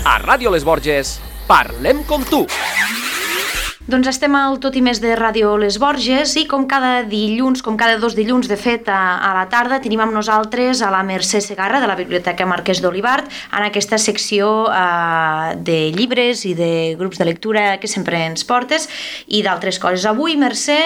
A Ràdio Les Borges, parlem com tu. Doncs estem al Tot i Més de Ràdio Les Borges i com cada dilluns, com cada 2 dilluns de fet a la tarda, tenim amb nosaltres a la Mercè Segarra de la Biblioteca Marquès d'Olivart en aquesta secció de llibres i de grups de lectura que sempre ens portes i d'altres coses. Avui, Mercè,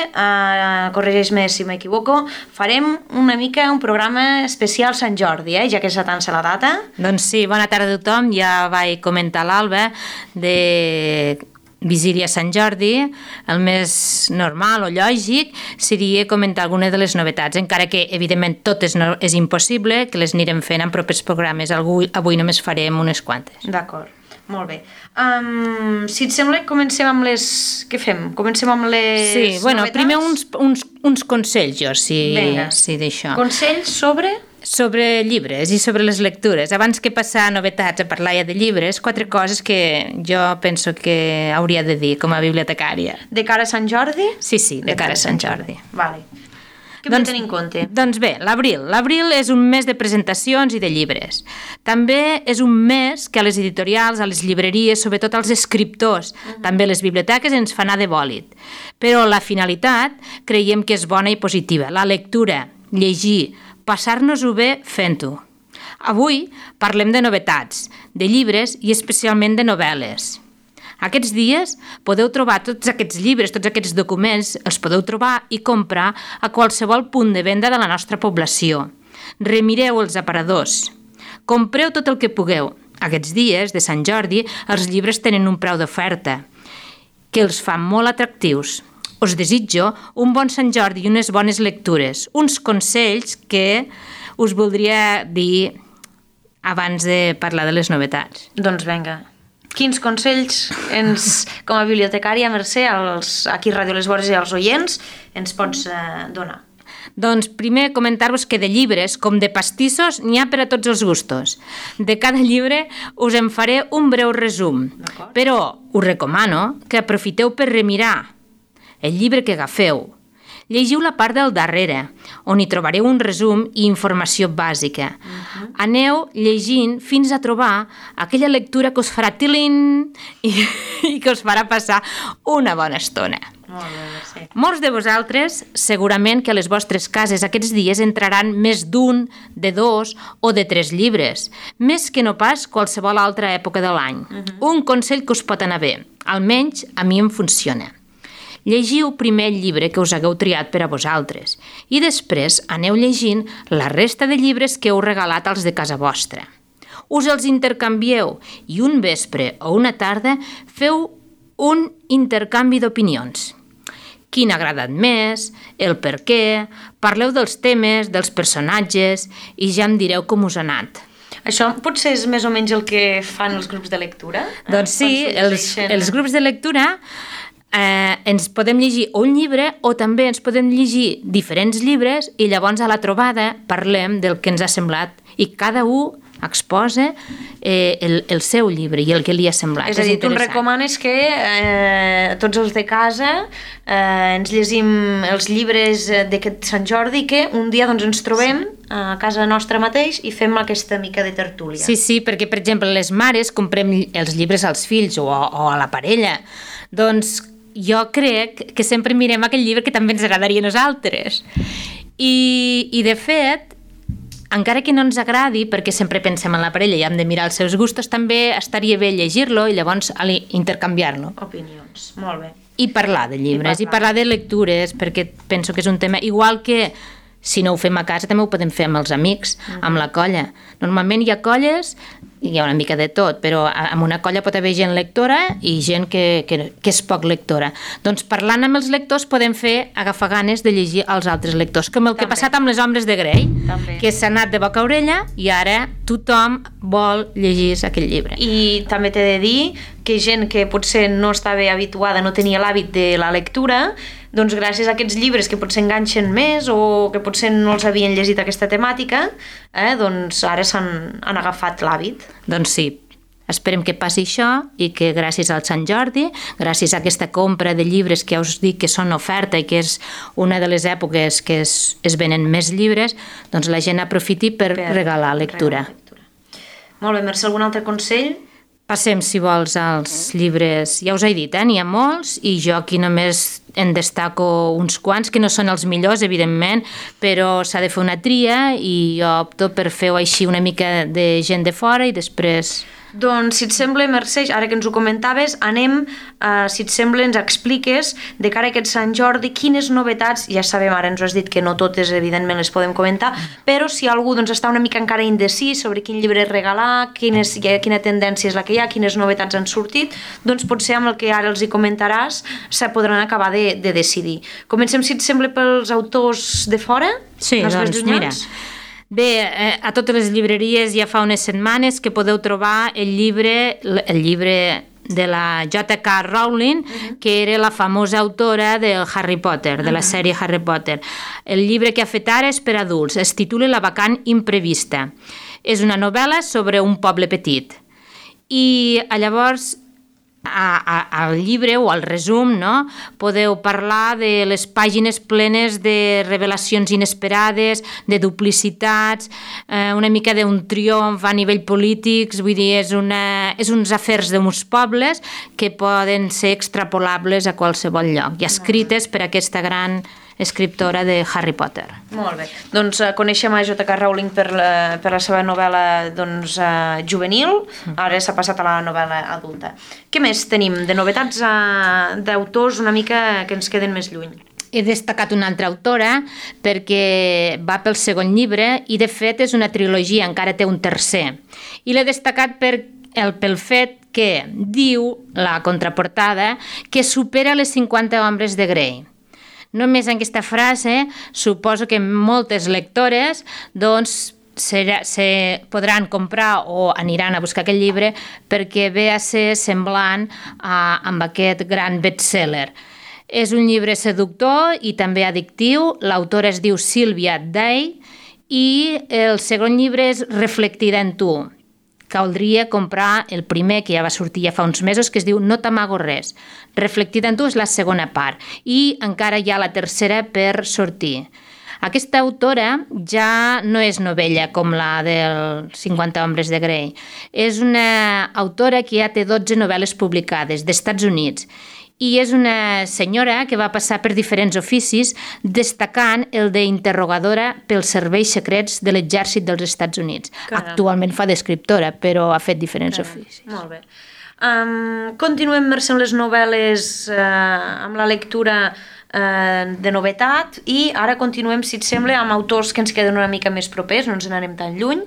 corregeix-me si m'equivoco, farem una mica un programa especial Sant Jordi, ja que s'atança la data. Doncs sí, bona tarda a tothom. Ja vaig comentar l'Alba de Vigília Sant Jordi. El més normal o lògic seria comentar alguna de les novetats, encara que evidentment tot és impossible, que les anirem fent en propers programes. Avui només farem unes quantes. D'acord, molt bé. Si et sembla, comencem amb les... Què fem? Comencem amb les novetats? Sí, primer uns consells, Vinga. sí d'això. Consells sobre... Sobre llibres i sobre les lectures. Abans que passar a novetats, a parlar ja de llibres, 4 coses que jo penso que hauria de dir com a bibliotecària. De cara a Sant Jordi? Sí, de cara a Sant Jordi. Vale. Què hem de tenir en compte? Doncs bé, l'abril. L'abril és un mes de presentacions i de llibres. També és un mes que a les editorials, a les llibreries, sobretot als escriptors, també a les biblioteques ens fa anar de bòlit. Però la finalitat creiem que és bona i positiva. La lectura, llegir, passar-nos-ho bé fent-ho. Avui parlem de novetats, de llibres i especialment de novel·les. Aquests dies podeu trobar tots aquests llibres, tots aquests documents, els podeu trobar i comprar a qualsevol punt de venda de la nostra població. Remireu els aparadors. Compreu tot el que pugueu. Aquests dies de Sant Jordi els llibres tenen un preu d'oferta que els fa molt atractius. Us desitjo un bon Sant Jordi i unes bones lectures, uns consells que us voldria dir abans de parlar de les novetats. Doncs vinga. Quins consells com a bibliotecària, Mercè, aquí a Ràdio Les Borges i als oients, ens pots donar? Doncs primer comentar-vos que de llibres com de pastissos n'hi ha per a tots els gustos. De cada llibre us en faré un breu resum, però us recomano que aprofiteu per remirar el llibre que agafeu. Llegiu la part del darrere, on hi trobareu un resum i informació bàsica. Aneu llegint fins a trobar aquella lectura que us farà tilín i que us farà passar una bona estona. Molt bé, Mercè. Molts de vosaltres, segurament que a les vostres cases aquests dies entraran més d'un, de 2 o de 3 llibres, més que no pas qualsevol altra època de l'any. Un consell que us pot anar bé, almenys a mi em funciona. Llegiu primer el llibre que us hagueu triat per a vosaltres i després aneu llegint la resta de llibres que heu regalat als de casa vostra. Us els intercanvieu i un vespre o una tarda feu un intercanvi d'opinions. Quin ha agradat més, el per què, parleu dels temes, dels personatges i ja em direu com us ha anat. Això potser és més o menys el que fan els grups de lectura? Doncs sí, els grups de lectura ens podem llegir un llibre o també ens podem llegir diferents llibres i llavors a la trobada parlem del que ens ha semblat i cada un exposa el seu llibre i el que li ha semblat. És a dir, tu ens recomanes que tots els de casa ens llegim els llibres d'aquest Sant Jordi, que un dia doncs, ens trobem a casa nostra mateix i fem aquesta mica de tertúlia. Sí, perquè per exemple les mares comprem els llibres als fills o a la parella. Doncs jo crec que sempre mirem aquell llibre que també ens agradaria a nosaltres. I de fet, encara que no ens agradi, perquè sempre pensem en la parella i hem de mirar els seus gustos, també estaria bé llegir-lo i llavors intercanviar-lo. Opinions, molt bé. I parlar de llibres, i parlar de lectures, perquè penso que és un tema... Igual que si no ho fem a casa, també ho podem fer amb els amics, amb la colla. Normalment hi ha colles, hi ha una mica de tot, però en una colla pot haver gent lectora i gent que és poc lectora. Doncs parlant amb els lectors podem agafar ganes de llegir als altres lectors, com el que ha passat amb les Ombres de Grey, que s'ha anat de boca a orella i ara tothom vol llegir aquell llibre. I també t'he de dir que gent que potser no estava habituada, no tenia l'hàbit de la lectura, doncs gràcies a aquests llibres que potser enganxen més o que potser no els havien llegit aquesta temàtica, doncs ara han agafat l'hàbit. Doncs sí, esperem que passi això i que gràcies al Sant Jordi, gràcies a aquesta compra de llibres que ja us dic que són oferta i que és una de les èpoques que es venen més llibres, doncs la gent aprofiti per regalar lectura. Molt bé, Mercè, algun altre consell? Passem, si vols, als llibres. Ja us he dit, n'hi ha molts, i jo aquí només en destaco uns quants, que no són els millors, evidentment, però s'ha de fer una tria i jo opto per fer-ho així una mica de gent de fora i després... Doncs, si et sembla, Mercè, ara que ens ho comentaves, anem, si et sembla, ens expliques de cara a aquest Sant Jordi quines novetats, ja sabem, ara ens ho has dit que no totes, evidentment, les podem comentar, però si algú està una mica encara indecis sobre quin llibre regalar, quina tendència és la que hi ha, quines novetats han sortit, doncs potser amb el que ara els hi comentaràs se podran acabar de decidir. Comencem, si et sembla, pels autors de fora? Sí, doncs mira... Bé, a totes les llibreries ja fa unes setmanes que podeu trobar el llibre de la J.K. Rowling, que era la famosa autora del Harry Potter, de la sèrie Harry Potter. El llibre que ha fet ara és per adults, es titula La vacant imprevista. És una novel·la sobre un poble petit. I llavors... al llibre o al resum, no? Podeu parlar de les pàgines plenes de revelacions inesperades, de duplicitats, una mica d'un triomf a nivell polític, vull dir, és uns afers d'uns pobles que poden ser extrapolables a qualsevol lloc i escrites per aquesta gran escriptora de Harry Potter. Molt bé. Doncs coneixem a J.K. Rowling per la seva novel·la juvenil, ara s'ha passat a la novel·la adulta. Què més tenim de novetats d'autors una mica que ens queden més lluny? He destacat una altra autora perquè va pel segon llibre i de fet és una trilogia, encara té un tercer. I l'he destacat pel fet que diu, la contraportada, que supera les 50 ombres de Grey. Només en aquesta frase suposo que moltes lectores doncs, podran comprar o aniran a buscar aquest llibre perquè ve a ser semblant amb aquest gran bestseller. És un llibre seductor i també addictiu. L'autora es diu Sylvia Day i el segon llibre és Reflectida en tu. Caldria comprar el primer, que ja va sortir ja fa uns mesos, que es diu No t'amago res. Reflectida en tu és la segona part i encara hi ha la tercera per sortir. Aquesta autora ja no és novella com la del 50 ombres de Grey. És una autora que ja té 12 novel·les publicades d'Estats Units i és una senyora que va passar per diferents oficis, destacant el d'interrogadora pels serveis secrets de l'exèrcit dels Estats Units. Caram. Actualment fa d'escriptora, però ha fet diferents oficis. Molt bé. Continuem, Mercè, amb les novel·les, amb la lectura de novetat, i ara continuem, si et sembla, amb autors que ens queden una mica més propers, no ens n'anem tan lluny,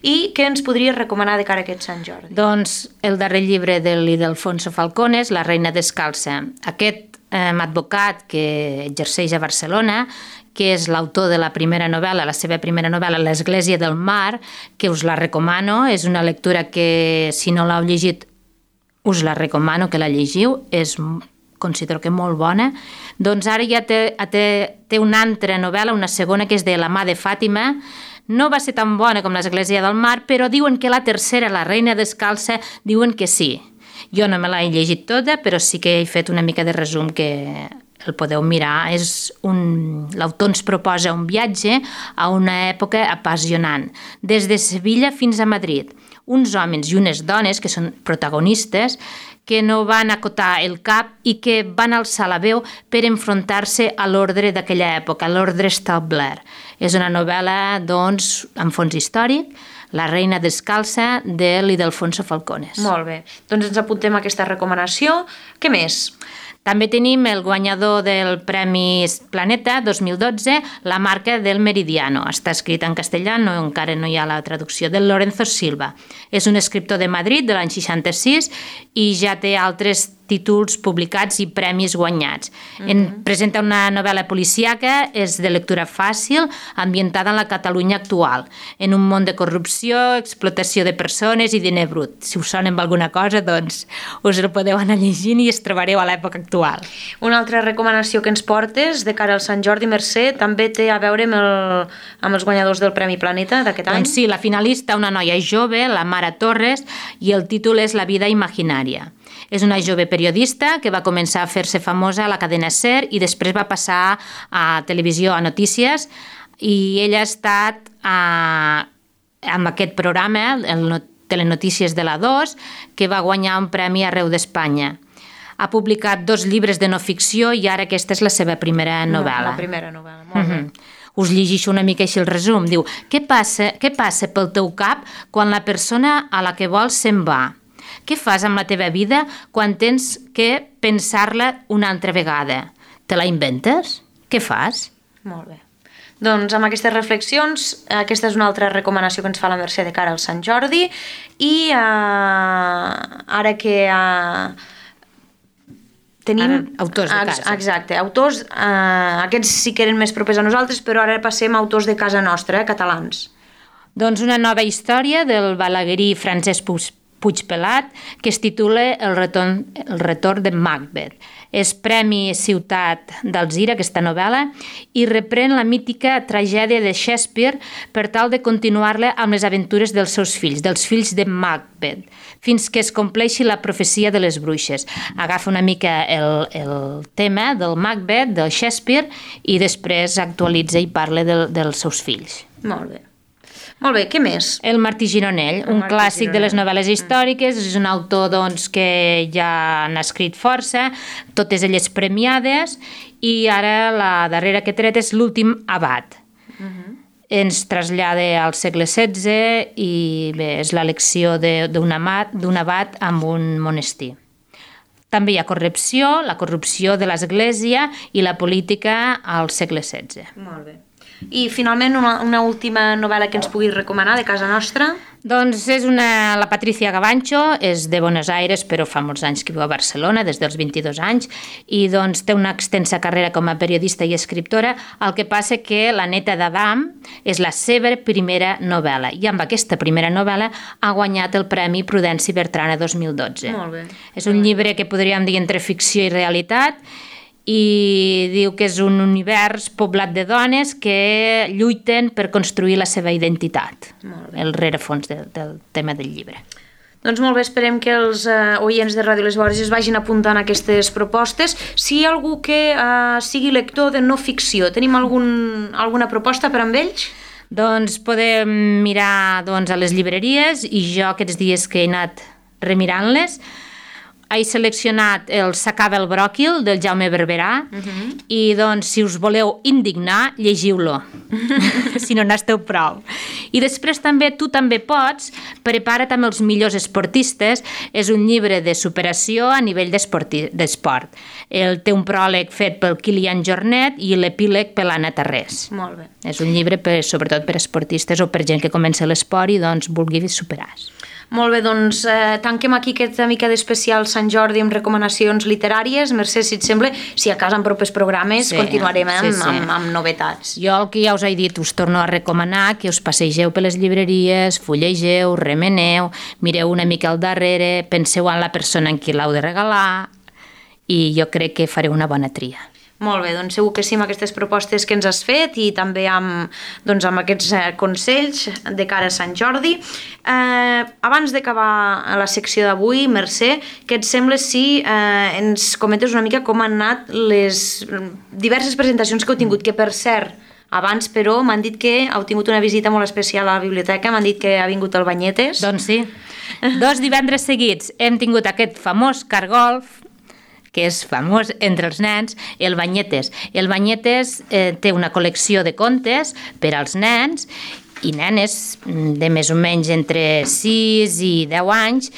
i què ens podries recomanar de cara a aquest Sant Jordi? Doncs el darrer llibre de l'Ildefonso Falcones, La reina descalça. Aquest advocat que exerceix a Barcelona, que és l'autor de la primera novel·la, la seva primera novel·la, L'Església del Mar, que us la recomano, és una lectura que, si no l'heu llegit, us la recomano que la llegiu, considero que molt bona. Doncs ara ja té una altra novel·la, una segona, que és de La mà de Fàtima. No va ser tan bona com l'Església del Mar, però diuen que la tercera, La reina descalça, diuen que sí. Jo no me l'he llegit tota, però sí que he fet una mica de resum que el podeu mirar. L'autor ens proposa un viatge a una època apassionant, des de Sevilla fins a Madrid. Uns homes i unes dones, que són protagonistes, que no van acotar el cap i que van alçar la veu per enfrontar-se a l'ordre d'aquella època, l'ordre establert. És una novel·la, doncs, amb fons històric, La reina descalça, de l'Ildefonso Falcones. Molt bé. Doncs ens apuntem a aquesta recomanació. Què més? També tenim el guanyador del Premi Planeta 2012, La marca del meridiano. Està escrit en castellà, encara no hi ha la traducció, del Lorenzo Silva. És un escriptor de Madrid de l'any 66 i ja té altres títols publicats i premis guanyats. Presenta una novel·la policíaca, és de lectura fàcil, ambientada en la Catalunya actual, en un món de corrupció, explotació de persones i diner brut. Si us sona amb alguna cosa, doncs us el podeu anar llegint i es trobareu a l'època actual. Una altra recomanació que ens portes de cara al Sant Jordi, Mercè, també té a veure amb els guanyadors del Premi Planeta d'aquest any? Doncs sí, la finalista, una noia jove, la Mara Torres, i el títol és La vida imaginària. És una jove periodista que va començar a fer-se famosa a la cadena SER i després va passar a televisió, a notícies, i ella ha estat amb aquest programa, telenotícies de la 2, que va guanyar un premi arreu d'Espanya. Ha publicat 2 llibres de no ficció i ara aquesta és la seva primera novel·la. La primera novel·la, molt bé. Us llegeixo una mica així el resum. Diu, què passa pel teu cap quan la persona a la que vols se'n va? Què fas amb la teva vida quan tens que pensar-la una altra vegada? Te la inventes? Què fas? Molt bé. Doncs amb aquestes reflexions, aquesta és una altra recomanació que ens fa la Mercè de cara al Sant Jordi i ara que tenim... Autors de casa. Exacte, autors, aquests sí que eren més propers a nosaltres, però ara passem a autors de casa nostra, catalans. Doncs una nova història del balaguerí Francesc Puigpelat que es titula El retorn de Macbeth. És Premi Ciutat d'Alzira, aquesta novel·la, i reprèn la mítica tragèdia de Shakespeare per tal de continuar-la amb les aventures dels seus fills, dels fills de Macbeth, fins que es compleixi la profecia de les bruixes. Agafa una mica el tema del Macbeth, del Shakespeare, i després actualitza i parla dels seus fills. Molt bé. Molt bé, què més? El Martí Gironell, un clàssic de les novel·les històriques, és un autor doncs, que ja n'ha escrit força, totes elles premiades, i ara la darrera que he tret és L'últim abat. Ens trasllada al segle XVI i bé, és l'elecció d'un abat amb un monestir. També hi ha corrupció, la corrupció de l'Església i la política al segle XVI. Molt bé. I finalment una última novel·la que ens puguis recomanar de casa nostra? Doncs és la Patricia Gavancho, és de Buenos Aires però fa molts anys que viu a Barcelona, des dels 22 anys, i doncs té una extensa carrera com a periodista i escriptora. El que passa que La neta d'Adam és la seva primera novel·la i amb aquesta primera novel·la ha guanyat el Premi Prudenci Bertrana 2012. Molt bé. És un llibre que podríem dir entre ficció i realitat, i diu que és un univers poblat de dones que lluiten per construir la seva identitat. El rerefons del tema del llibre. Doncs molt bé, esperem que els oients de Ràdio Les Borges vagin apuntant aquestes propostes. Si hi ha algú que sigui lector de no ficció, tenim alguna proposta per amb ells? Doncs podem mirar a les llibreries i jo aquests dies que he anat remirant-les he seleccionat el S'acaba el bròquil, del Jaume Barberà, i doncs, si us voleu indignar, llegiu-lo, si no n'esteu prou. I després també, tu també pots, prepara't amb els millors esportistes, és un llibre de superació a nivell d'esport. Té un pròleg fet pel Kilian Jornet i l'epíleg per l'Anna Tarrés. Molt bé. És un llibre sobretot per esportistes o per gent que comença l'esport i doncs vulgui superar-se. Molt bé, doncs tanquem aquí aquesta mica d'especial Sant Jordi amb recomanacions literàries. Mercè, si et sembla, si a casa en propers programes continuarem amb novetats. Jo el que ja us he dit, us torno a recomanar que us passegeu per les llibreries, fullegeu, remeneu, mireu una mica al darrere, penseu en la persona en qui l'heu de regalar i jo crec que fareu una bona tria. Molt bé, doncs segur que sí amb aquestes propostes que ens has fet i també amb aquests consells de cara a Sant Jordi. Abans d'acabar la secció d'avui, Mercè, què et sembla si ens comentes una mica com han anat les diverses presentacions que heu tingut, que per cert, abans però m'han dit que heu tingut una visita molt especial a la biblioteca, m'han dit que ha vingut el Banyetes. Doncs sí, 2 divendres seguits hem tingut aquest famós cargolf, que és famós entre els nens, el Banyetes. El Banyetes té una col·lecció de contes per als nens i nenes de més o menys entre 6 i 10 anys,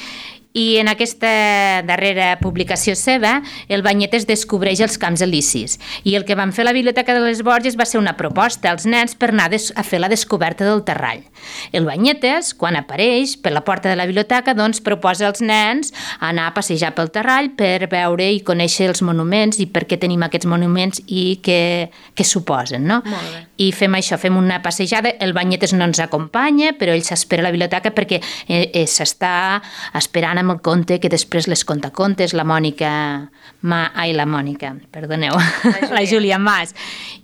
i en aquesta darrera publicació seva, el Banyetes descobreix els camps elisis. I el que vam fer a la Biblioteca de les Borges va ser una proposta als nens per anar a fer la descoberta del terrall. El Banyetes, quan apareix per la porta de la biblioteca, doncs proposa als nens anar a passejar pel terrall per veure i conèixer els monuments i per què tenim aquests monuments i què suposen, no? Molt bé. I fem això, fem una passejada. El Banyetes no ens acompanya, però ell s'espera a la biblioteca perquè s'està esperant amb el conte que després les conta contes, la Júlia Mas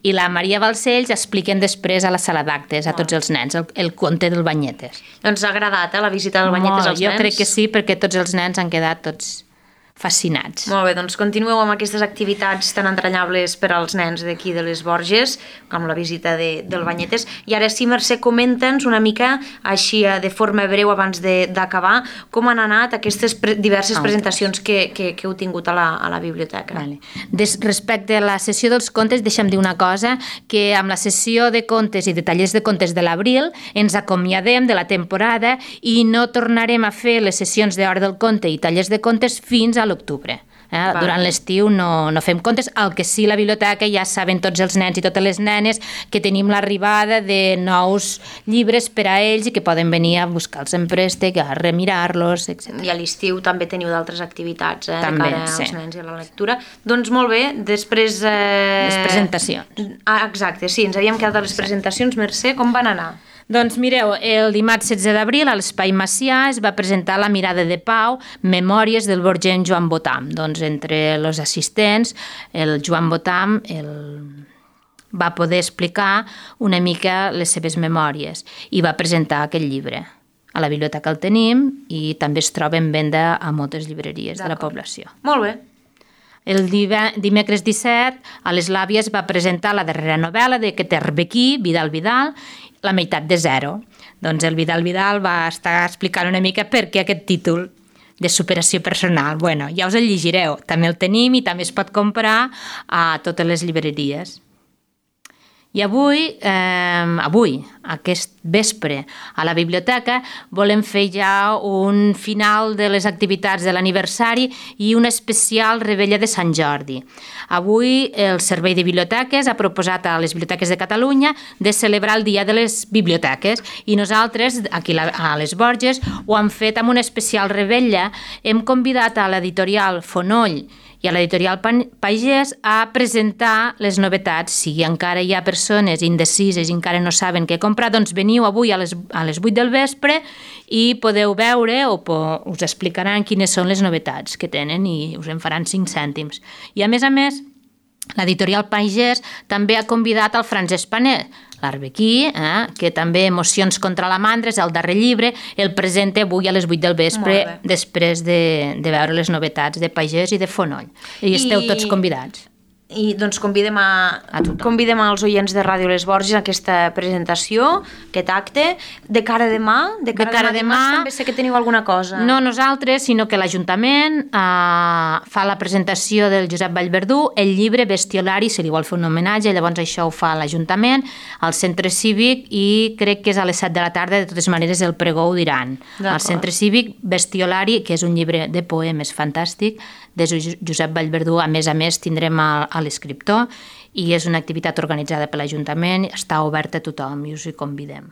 i la Maria Balcells expliquen després a la sala d'actes a tots els nens el conte del Banyetes. Doncs ha agradat la visita del Banyetes als nens? Jo crec que sí, perquè tots els nens han quedat tots fascinats. Molt bé, doncs continueu amb aquestes activitats tan entranyables per als nens d'aquí de les Borges, com la visita del Banyetes. I ara sí, Mercè, comenta'ns una mica, així de forma breu abans d'acabar, com han anat aquestes diverses presentacions que heu tingut a la biblioteca. Vale. Respecte a la sessió dels contes, deixa'm dir una cosa, que amb la sessió de contes i de tallers de contes de l'abril ens acomiadem de la temporada i no tornarem a fer les sessions d'Hora del Conte i tallers de contes fins a l'octubre. Durant l'estiu no fem contes, el que sí la biblioteca ja saben tots els nens i totes les nenes que tenim l'arribada de nous llibres per a ells i que poden venir a buscar-los en préstec, a remirar-los, etc. I a l'estiu també teniu d'altres activitats també, de cara als nens i a la lectura. Doncs molt bé, després... Les presentacions. Exacte, sí, ens havíem quedat a les presentacions. Mercè, com van anar? Doncs mireu, el dimarts 16 d'abril a l'Espai Macià es va presentar La mirada de Pau, Memòries del borgent Joan Botam. Doncs entre els assistents, el Joan Botam va poder explicar una mica les seves memòries i va presentar aquest llibre. A la biblioteca el tenim i també es troba en venda a moltes llibreries de la població. Molt bé. El dimecres 17 a les Làvies va presentar la darrera novel·la de Queter Bequí, Vidal Vidal, La meitat de zero. Doncs el Vidal Vidal va estar explicant una mica per què aquest títol de superació personal. Bueno, ja us el llegireu. També el tenim i també es pot comprar a totes les llibreries. I avui, aquest vespre, a la biblioteca, volem fer ja un final de les activitats de l'aniversari i una especial revetlla de Sant Jordi. Avui el Servei de Biblioteques ha proposat a les biblioteques de Catalunya de celebrar el Dia de les Biblioteques i nosaltres, aquí a les Borges, ho hem fet amb una especial revetlla. Hem convidat a l'editorial Fonoll i a l'editorial Pagès a presentar les novetats. Si encara hi ha persones indecises i encara no saben què comprar, doncs veniu avui a les 8 del vespre i podeu veure o us explicaran quines són les novetats que tenen i us en faran 5 cèntims. I a més, l'editorial Pagès també ha convidat el Francesc Paner, l'Arbequí, que també Emocions contra la mandra és el darrer llibre, el presenta avui a les 8 del vespre després de veure les novetats de Pagès i de Fonoll. I esteu tots convidats. I doncs convidem als oients de Ràdio Les Borges a aquesta presentació, aquest acte. De cara a demà? De cara a demà també sé que teniu alguna cosa. No nosaltres, sinó que l'Ajuntament fa la presentació del Josep Vallverdú, el llibre Bestiolari, se li vol fer un homenatge, llavors això ho fa l'Ajuntament, al Centre Cívic, i crec que és a les 7 de la tarda, de totes maneres el pregó ho diran. Al Centre Cívic, Bestiolari, que és un llibre de poemes fantàstic, de Josep Vallverdú. A més, tindrem a l'escriptor i és una activitat organitzada per l'Ajuntament, està oberta a tothom i us hi convidem.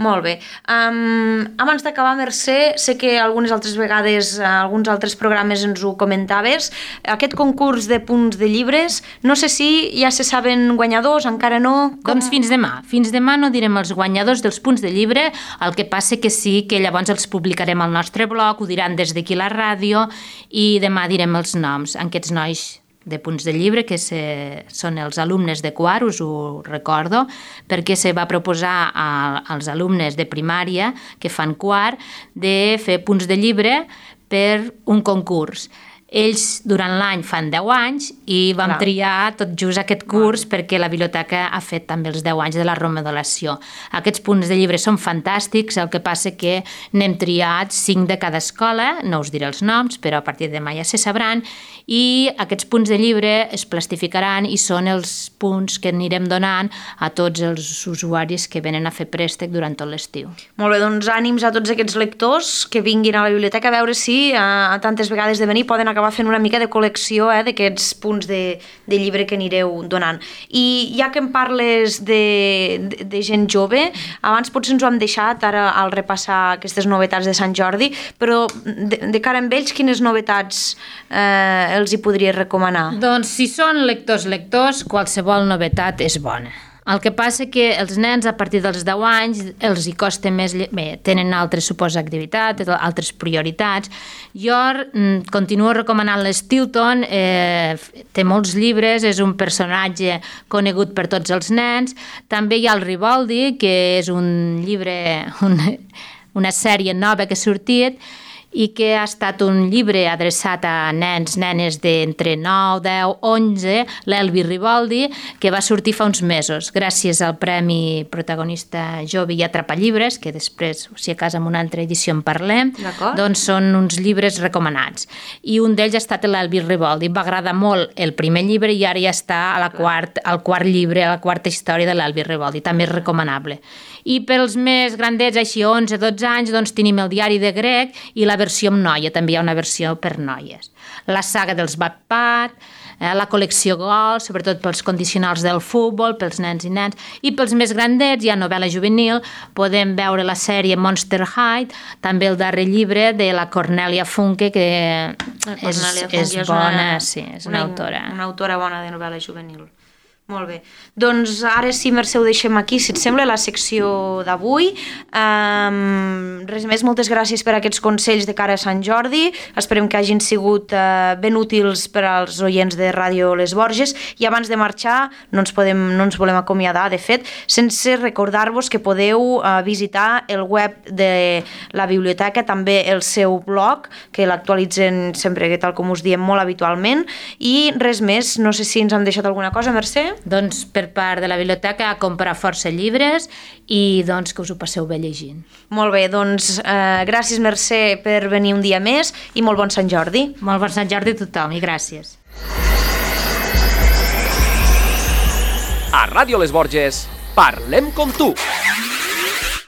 Molt bé. Abans d'acabar, Mercè, sé que algunes altres vegades, alguns altres programes ens ho comentaves, aquest concurs de punts de llibres, no sé si ja se saben guanyadors, encara no? Doncs fins demà. Fins demà no direm els guanyadors dels punts de llibre, el que passa que sí que llavors els publicarem al nostre blog, ho diran des d'aquí a la ràdio i demà direm els noms. Aquests nois de punts de llibre, que són els alumnes de quart, us ho recordo, perquè se va proposar als alumnes de primària que fan quart de fer punts de llibre per un concurs. Ells durant l'any fan 10 anys i vam triar tot just aquest curs perquè la biblioteca ha fet també els 10 anys de la remodelació. Aquests punts de llibre són fantàstics, el que passa que n'hem triat 5 de cada escola, no us diré els noms, però a partir de demà ja se sabran, i aquests punts de llibre es plastificaran i són els punts que anirem donant a tots els usuaris que venen a fer préstec durant tot l'estiu. Molt bé, doncs ànims a tots aquests lectors que vinguin a la biblioteca a veure si a tantes vegades de venir poden acabar fent una mica de col·lecció d'aquests punts de llibre que anireu donant. I ja que em parles de gent jove, abans potser ens ho hem deixat ara al repassar aquestes novetats de Sant Jordi, però de cara amb ells, quines novetats els hi podries recomanar? Doncs si són lectors, qualsevol novetat és bona. El que passa que els nens a partir dels 10 anys els hi costa més... Bé, tenen altres, suposa, activitats, altres prioritats. Jo continuo recomanant l'Stilton, té molts llibres, és un personatge conegut per tots els nens. També hi ha el Riboldi, que és un llibre, una sèrie nova que ha sortit, i que ha estat un llibre adreçat a nens, nenes d'entre 9, 10, 11, l'Elvi Riboldi, que va sortir fa uns mesos, gràcies al Premi Protagonista Jove i Atrapallibres, que després, si a casa en una altra edició en parlem, doncs són uns llibres recomanats. I un d'ells ha estat l'Elvi Riboldi. Va agradar molt el primer llibre i ara ja està al quart llibre, a la quarta història de l'Elvi Riboldi. També és recomanable. I pels més grandets, així 11, 12 anys, doncs tenim el diari de grec i la versió amb noia, també hi ha una versió per noies. La saga dels Wattpad, la col·lecció Gol, sobretot pels condicionals del futbol, pels nens i nens, i pels més grandets hi ha novel·la juvenil, podem veure la sèrie Monster High, també el darrer llibre de la Cornelia Funke, que és bona, sí, és una autora. Una autora bona de novel·la juvenil. Molt bé. Doncs ara sí, Mercè, ho deixem aquí, si et sembla, la secció d'avui. Res més, moltes gràcies per aquests consells de cara a Sant Jordi. Esperem que hagin sigut ben útils per als oients de Ràdio Les Borges. I abans de marxar, no ens volem acomiadar, de fet, sense recordar-vos que podeu visitar el web de la biblioteca, també el seu blog, que l'actualitzen sempre, tal com us diem, molt habitualment. I res més, no sé si ens hem deixat alguna cosa, Mercè? Doncs per part de la biblioteca a comprar força llibres i doncs que us ho passeu bé llegint. Molt bé, doncs gràcies, Mercè, per venir un dia més i molt bon Sant Jordi. Molt bon Sant Jordi a tothom i gràcies. A Ràdio Les Borges, parlem com tu.